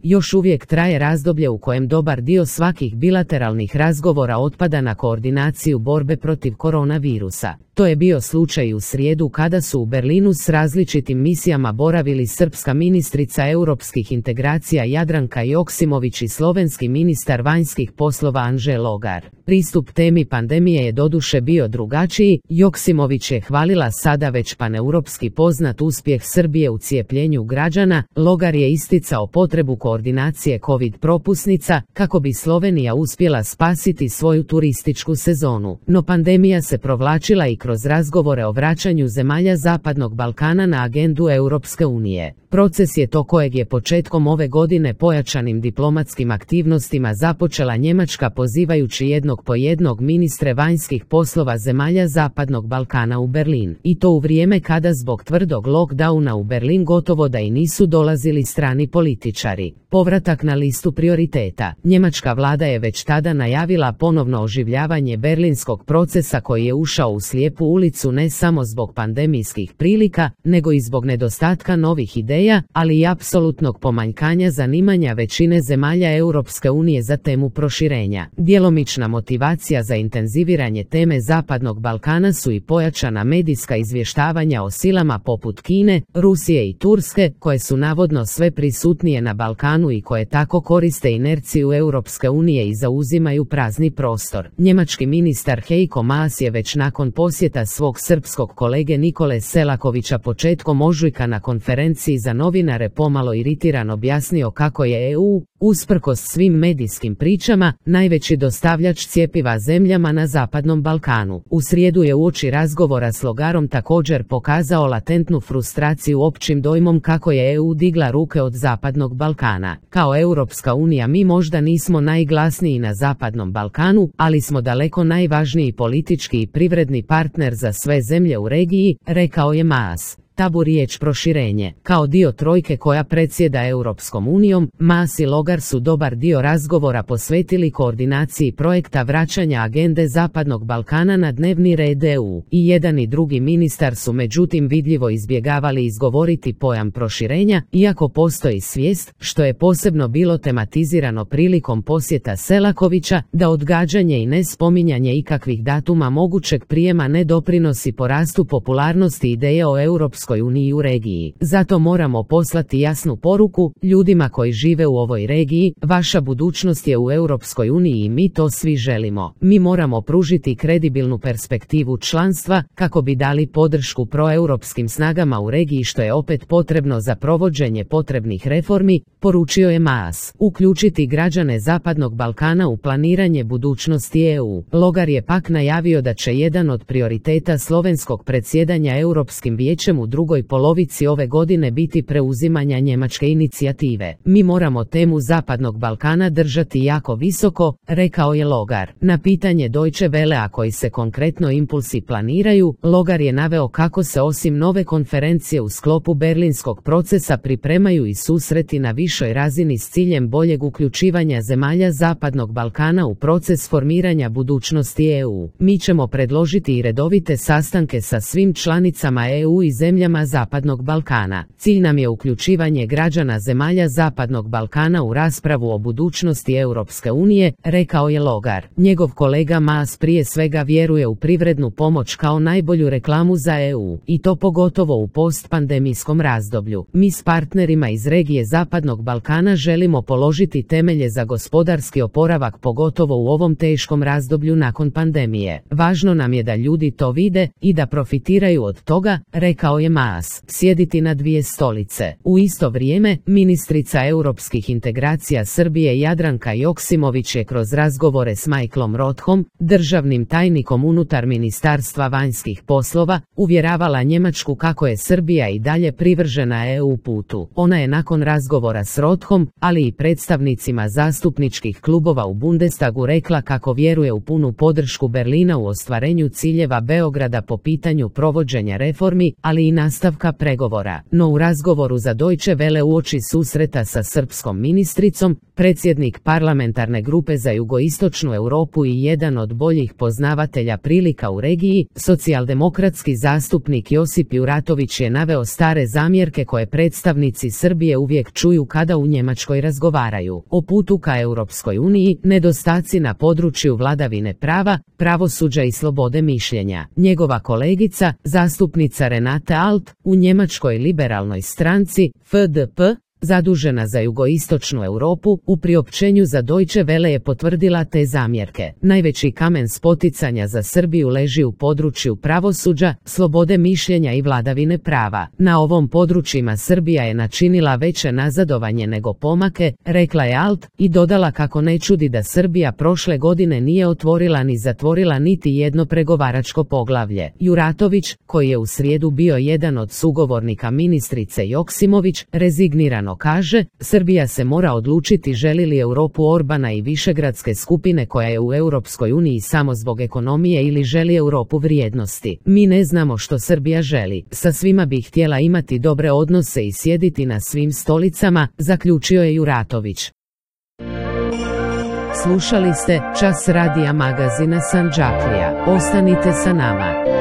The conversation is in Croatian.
Još uvijek traje razdoblje u kojem dobar dio svakih bilateralnih razgovora otpada na koordinaciju borbe protiv koronavirusa. To je bio slučaj u srijedu kada su u Berlinu s različitim misijama boravili srpska ministrica europskih integracija Jadranka Joksimović i slovenski ministar vanjskih poslova Anže Logar. Pristup temi pandemije je doduše bio drugačiji. Joksimović je hvalila sada već paneuropski poznat uspjeh Srbije u cijepljenju građana. Logar je isticao potrebu koordinacije covid propusnica kako bi Slovenija uspjela spasiti svoju turističku sezonu. No pandemija se provlačila i kroz razgovore o vraćanju zemalja Zapadnog Balkana na agendu Europske unije. Proces je to kojeg je početkom ove godine pojačanim diplomatskim aktivnostima započela Njemačka pozivajući jednog po jednog ministre vanjskih poslova zemalja Zapadnog Balkana u Berlin. I to u vrijeme kada zbog tvrdog lockdowna u Berlin gotovo da i nisu dolazili strani političari. Povratak na listu prioriteta. Njemačka vlada je već tada najavila ponovno oživljavanje berlinskog procesa koji je ušao u slijepu ulicu ne samo zbog pandemijskih prilika, nego i zbog nedostatka novih ideja, ali i apsolutnog pomanjkanja zanimanja većine zemalja Europske unije za temu proširenja. Djelomična motivacija za intenziviranje teme Zapadnog Balkana su i pojačana medijska izvještavanja o silama poput Kine, Rusije i Turske, koje su navodno sve prisutnije na Balkanu i koje tako koriste inerciju Europske unije i zauzimaju prazni prostor. Njemački ministar Heiko Maas je već nakon posjeta svog srpskog kolege Nikole Selakovića početkom ožujka na konferenciji za novinare pomalo iritiran objasnio kako je EU, usprkos svim medijskim pričama, najveći dostavljač cjepiva zemljama na Zapadnom Balkanu. U srijedu je uoči razgovora s Logarom također pokazao latentnu frustraciju općim dojmom kako je EU digla ruke od Zapadnog Balkana. Kao Europska unija mi možda nismo najglasniji na Zapadnom Balkanu, ali smo daleko najvažniji politički i privredni partner za sve zemlje u regiji, rekao je Maas. Tabu riječ proširenje. Kao dio trojke koja predsjeda Europskom unijom, Maas i Logar su dobar dio razgovora posvetili koordinaciji projekta vraćanja agende Zapadnog Balkana na dnevni red EU. I jedan i drugi ministar su međutim vidljivo izbjegavali izgovoriti pojam proširenja, iako postoji svijest, što je posebno bilo tematizirano prilikom posjeta Selakovića, da odgađanje i nespominjanje ikakvih datuma mogućeg prijema ne doprinosi porastu popularnosti ideje o Europskoj uniji u regiji. Zato moramo poslati jasnu poruku ljudima koji žive u ovoj regiji, vaša budućnost je u Europskoj uniji i mi to svi želimo. Mi moramo pružiti kredibilnu perspektivu članstva kako bi dali podršku proeuropskim snagama u regiji što je opet potrebno za provođenje potrebnih reformi, poručio je Maas. Uključiti građane Zapadnog Balkana u planiranje budućnosti EU. Logar je pak najavio da će jedan od prioriteta slovenskog predsjedanja Europskim vijećem u drugoj polovici ove godine biti preuzimanja njemačke inicijative. Mi moramo temu Zapadnog Balkana držati jako visoko, rekao je Logar. Na pitanje Deutsche Wellea koji se konkretno impulsi planiraju, Logar je naveo kako se osim nove konferencije u sklopu berlinskog procesa pripremaju i susreti na višoj razini s ciljem boljeg uključivanja zemalja Zapadnog Balkana u proces formiranja budućnosti EU. Mi ćemo predložiti i redovite sastanke sa svim članicama EU i zemljama Zapadnog Balkana. Cilj nam je uključivanje građana zemalja Zapadnog Balkana u raspravu o budućnosti Europske unije, rekao je Logar. Njegov kolega Maas prije svega vjeruje u privrednu pomoć kao najbolju reklamu za EU, i to pogotovo u postpandemijskom razdoblju. Mi s partnerima iz regije Zapadnog Balkana želimo položiti temelje za gospodarski oporavak pogotovo u ovom teškom razdoblju nakon pandemije. Važno nam je da ljudi to vide i da profitiraju od toga, rekao je Maas. Sjediti na dvije stolice. U isto vrijeme, ministrica europskih integracija Srbije Jadranka Joksimović je kroz razgovore s Michaelom Rothom, državnim tajnikom unutar Ministarstva vanjskih poslova, uvjeravala Njemačku kako je Srbija i dalje privržena EU putu. Ona je nakon razgovora s Rothom, ali i predstavnicima zastupničkih klubova u Bundestagu rekla kako vjeruje u punu podršku Berlina u ostvarenju ciljeva Beograda po pitanju provođenja reformi, ali i nastavka pregovora. No u razgovoru za Deutsche Welle uoči susreta sa srpskom ministricom, predsjednik parlamentarne grupe za jugoistočnu Europu i jedan od boljih poznavatelja prilika u regiji, socijaldemokratski zastupnik Josip Juratović je naveo stare zamjerke koje predstavnici Srbije uvijek čuju kada u Njemačkoj razgovaraju o putu ka Europskoj uniji, nedostaci na području vladavine prava, pravosuđa i slobode mišljenja. Njegova kolegica, zastupnica Renate Alt, u njemačkoj liberalnoj stranci, FDP, zadužena za jugoistočnu Europu, u priopćenju za Deutsche Welle je potvrdila te zamjerke. Najveći kamen spoticanja za Srbiju leži u području pravosuđa, slobode mišljenja i vladavine prava. Na ovom područjima Srbija je načinila veće nazadovanje nego pomake, rekla je Alt, i dodala kako ne čudi da Srbija prošle godine nije otvorila ni zatvorila niti jedno pregovaračko poglavlje. Juratović, koji je u srijedu bio jedan od sugovornika ministrice Joksimović, rezignirano kaže, Srbija se mora odlučiti želi li Europu Orbana i višegradske skupine koja je u Europskoj uniji samo zbog ekonomije ili želi Europu vrijednosti. Mi ne znamo što Srbija želi. Sa svima bi htjela imati dobre odnose i sjediti na svim stolicama, zaključio je Juratović. Slušali ste Čas radija magazina Sandžaklija. Ostanite sa nama.